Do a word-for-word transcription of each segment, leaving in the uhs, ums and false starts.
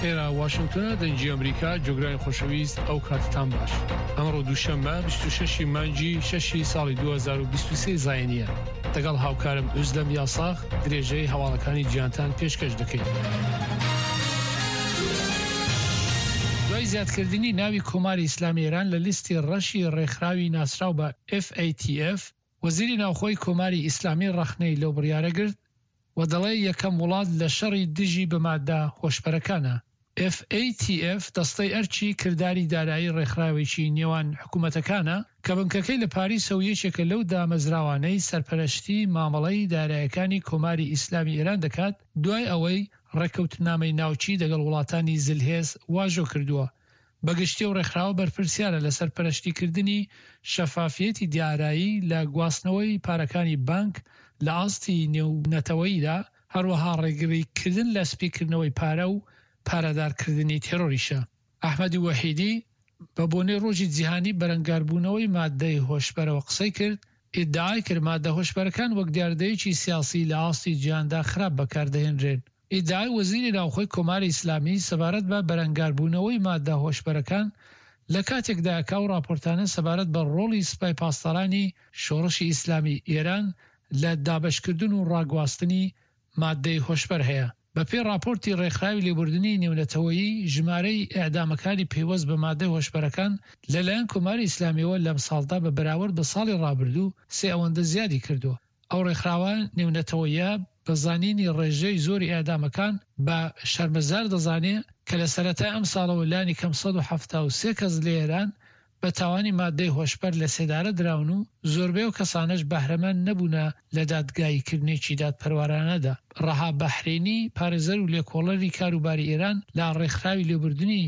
ئێرە واشنگتۆنە، دەنگی ئەمریکا. جۆگرانی خۆشەویست، ئەو کاتتان باش. ئەمڕۆ دووشەممە بیست و شەش ی مانگی شەش ی ساڵی دوو هەزار و بیست و سێ زاینییە. دەگەڵ هاوکارم ئوزلەم یاساغ درێژەی هەواڵەکانی جیهانتان پێشکەش دەکەین. دوای زیادکردنی ناوی کۆماری ئیسلامی ئێران لە لیستی ڕەشی ڕێکخراوی ناسراو بە F A T F، وەزیری ناوخۆی کۆماری ئیسلامی ڕەخنەی لەو بڕیارە گرت و دەڵێ یەکەم وڵات لە شەڕی دژی بە مادە هۆشبەرەکانە. F A T F دەستەی ئەرکی کرداری دارایی ڕێکخراوێکی نێوان حکوومەتەکانە کە بنکەکەی لە پاریسە و یەکێکە لەو دامەزراوانەی سەرپەرشتی مامەڵەی دارایەکانی کۆماری ئیسلامی ئێران دەکات دوای ئەوەی ڕێککەوتنامەی ناوچی دەگەڵ وڵاتانی زلهێز واژۆ کردووە. بەگشتی ئەو ڕێکخراوە بەرپرسیارە لە سەرپەرشتیکردنی شەفافیەتی دارایی لە گواستنەوەی پارەکانی بانک لە ئاستی نێونەتەوەییدا، هەروەها ڕێگریکردن لە سپیکردنەوەی پارە و پارەدارکردنی تێرۆریشە. ئەحمەدی وەحیدی بە بۆنەی ڕۆژی جیهانی بەرەنگاربوونەوەی مادەی هۆشبەرەوە قسەی کرد، ئیدعای کرد مادە هۆشبەرەکان وەک دیاردەیەکی سیاسی لە ئاستی جیهاندا خراپ بەکاردەهێنرێن. ئیدعای وەزیری ناوخۆی کۆماری ئیسلامی سەبارەت بە بەرەنگاربوونەوەی مادە هۆشبەرەکان لە کاتێکدایە کە ئەو ڕاپۆرتانە سەبارەت بە ڕۆڵی سپای پاسدارانی شۆڕشی ئیسلامی ئێران لە دابەشکردن و ڕاگواستنی مادەی هۆشبەر هەیە. بەپێی ڕاپۆرتی ڕێکخراوی لێبوردنی نێونەتەوەیی، ژمارەی ئێعدامەکانی پەیوەست بە مادەی هۆشبەرەکان لەلایەن کۆماری ئیسلامییەوە لەمساڵدا بە بەراورد بە ساڵی ڕابردوو سێ ئەوەندە زیادی کردووە. ئەو ڕێکخراوە نێونەتەوەییە بە زانینی ڕێژەی زۆری ئێعدامەکان بە شەرمەزار دەزانێ کە لە سەرەتای ئەمساڵەوە لانیکەم سەد و حەفتا و سێ کەس لە ئێران بە تاوانی مادەی هۆشبەر لە سێدارە دراون و زۆربەی ئەو کەسانەش بەهرەمەند نەبوونە لە دادگاییکردنێکی دادپەروەرانەدا. ڕەها بەحرینی، پارێزەر و لێکۆڵەری کاروباری ئێران لە ڕێکخراوی لێبوردنی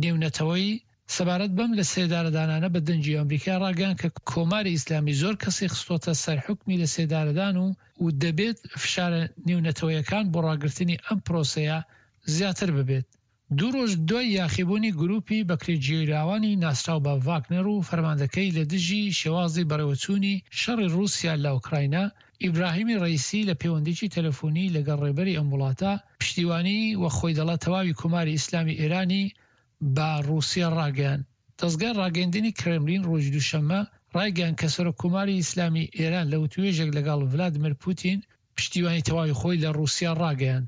نێونەتەوەیی، سەبارەت بەم لە سێدارەدانانە بە دەنگی ئەمریکای ڕاگەیاند کە کۆماری ئیسلامی زۆر کەسی خستۆتە سەر حوکمی لە سێدارەدان و و دەبێت فشارە نێونەتەوەیەکان بۆ ڕاگرتنی ئەم پرۆسەیە زیاتر ببێت. دوو ڕۆژ دوای یاخیبوونی گروپی بەکرێگیراوانی ناسراو بە ڤاگنەر و فەرماندەکەی لە دژی شێوازی بەڕێوەچوونی شەڕی ڕووسیا لە ئۆکراینا، ئیبراهیمی ڕەئیسی لە پەیوەندیی تەلەفۆنی لەگەڵ ڕێبەری ئەم وڵاتە پشتیوانی و خۆی دەڵێت تەواوی کۆماری ئیسلامی ئێرانی بە ڕووسیا ڕاگەیاند. دەزگای ڕاگەیاندنی کرێملین ڕۆژی دووشەممە ڕایگەیاند کە سەرۆک کۆماری ئیسلامی ئێران لە وتووێژێک لەگەڵ ڤلادیمیر پوتین پشتیوانی تەواوی خۆی لە ڕووسیا ڕاگەیاند.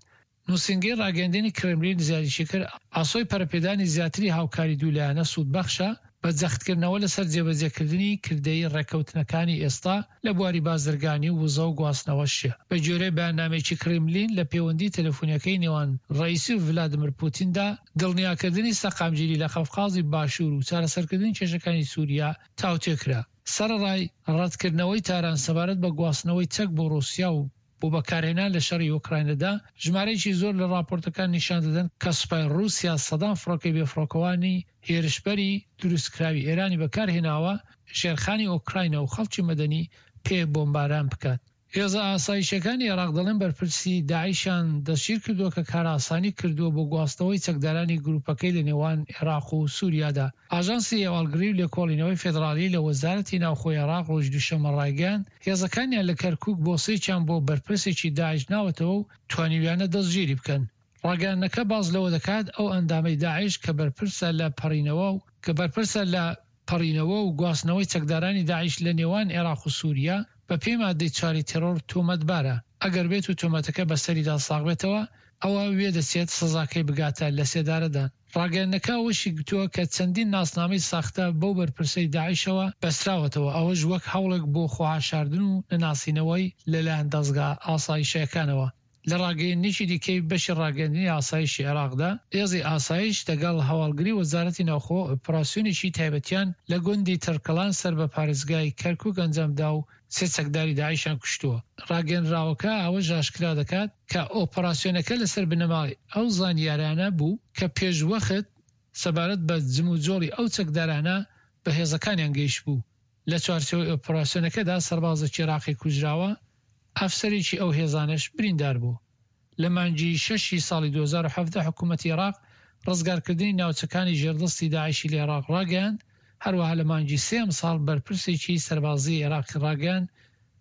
نووسینگەی ڕاگەیاندنی کرێملین زیادیشی کرد، ئاسۆی پەرەپێدانی زیاتری هاوکاری دوولایەنە سوودبەخشە بە جەختکردنەوە لەسەر جێبەجێکردنی کردەیی ڕێککەوتنەکانی ئێستا لە بواری بازرگانی و وزە و گواستنەوەش. بەگوێرەی بەیاننامەیەکی کرێملین لە پەیوەندی تەلەفۆنیەکەی نێوان ڕەئیسی و ڤلادیمیر پوتیندا، دڵنیاکردنی سەقامگیری لە قەفقازی باشوور و چارەسەرکردنی کێشەکانی سوریا تاوتوێ کرا. سەرەڕای ڕەتکردنەوەی تاران سەبارەت بە گواستنەوەی چەک بۆ ڕوسیا و بۆ بەکارهێنان لە شەڕی ئۆکراینەدا، ژمارەیەکی زۆر لە ڕاپۆرتەکان نیشان دەدەن کە سوپای ڕووسیا سەدان فڕۆکەی بێفڕۆکەوانی هێرشبەری دروستکراوی ئێرانی بەکارهێناوە ژێرخانی ئۆکراینا و خەڵکی مەدەنی پێ بۆمباران بکات. هێزە ئاسایشیەکانی عێراق دەڵێن بەرپرسی داعشیان دەستگیرکردووە کە کارئاسانی کردووە بۆ گواستنەوەی چەکدارانی گروپەکەی لە نێوان عێراق و سوریادا. ئاژانسی هەواڵگری و لێکۆڵینەوەی فێدراڵی لە وەزارەتی ناوخۆی عێراق ڕۆژی دووشەممە ڕایگەیاند، هێزەکانیان لە کەرکوک بۆسەیەکیان بۆ بەرپرسێکی داعش ناوەتەوە و توانیویانە دەستگیری بکەن. ڕاگەیاندنەکە باس لەوە دەکات، ئەو ئەندامەی داعش کە بەرپرسە لە پەڕینەوە و کە بەرپرسە لە پەڕینەوە و گواستنەوەی چەکدارانی داعش لە نێوان عێراق و سوریا، بە پێی مادەی چواری تێرۆر تۆمەتبارە، ئەگەر بێت و تۆمەتەکە بەسەریدا ساغبێتەوە، ئەوە وێدەچێت سزاکەی بگاتە لەسێدارەدان. ڕاگەیاندنەکە ئەوەشی گوتووە کە چەندین ناسنامەی ساختە بەو بەرپرسەی داعشەوە بەستراوەتەوە، ئەوەش وەک هەوڵێک بۆ خۆحەشاردن و نەناسینەوەی لەلایەن دەزگا ئاسایشییەکانەوە. لە ڕاگەیەندنێکی دیکەی بەشی ڕاگەیاندنی ئاسایشی عێراقدا، هێزی ئاسایش دەگەڵ هەواڵگری وەزارەتی ناوخۆ ئۆپراسیۆنێکی تایبەتیان لە گوندی تڕکەڵان سەر بە پارێزگای کەرکوک ئەنجامدا و سێ چەکداری داعشیان کوشتووە. ڕاگەیەنراوەکە ئەوەش ئاشکرا دەکات کە ئۆپەراسیۆنەکە لەسەر بنەمای ئەو زانیارانە بوو کە پێشوەخت سەبارەت بە جموجۆڵی ئەو چەکدارانە بە هێزەکانیان گەیشتبوو. لە چوارچێوەی ئۆپەراسیۆنەکەدا سەربازێکی عێراقی کوژراوە، ئەفسەرێکی ئەو هێزانەش بریندار بوو. لە مانگی شەشی ساڵی دوو هەزار و حەڤدە حکوومەتی عێراق ڕزگارکردنی ناوچەکانی ژێردەستی داعشی لە عێراق ڕاگەیاند، هەروەها لە مانگی سێ ئەمساڵ بەرپرسێکی سەربازیی عێراقی ڕاگەیاند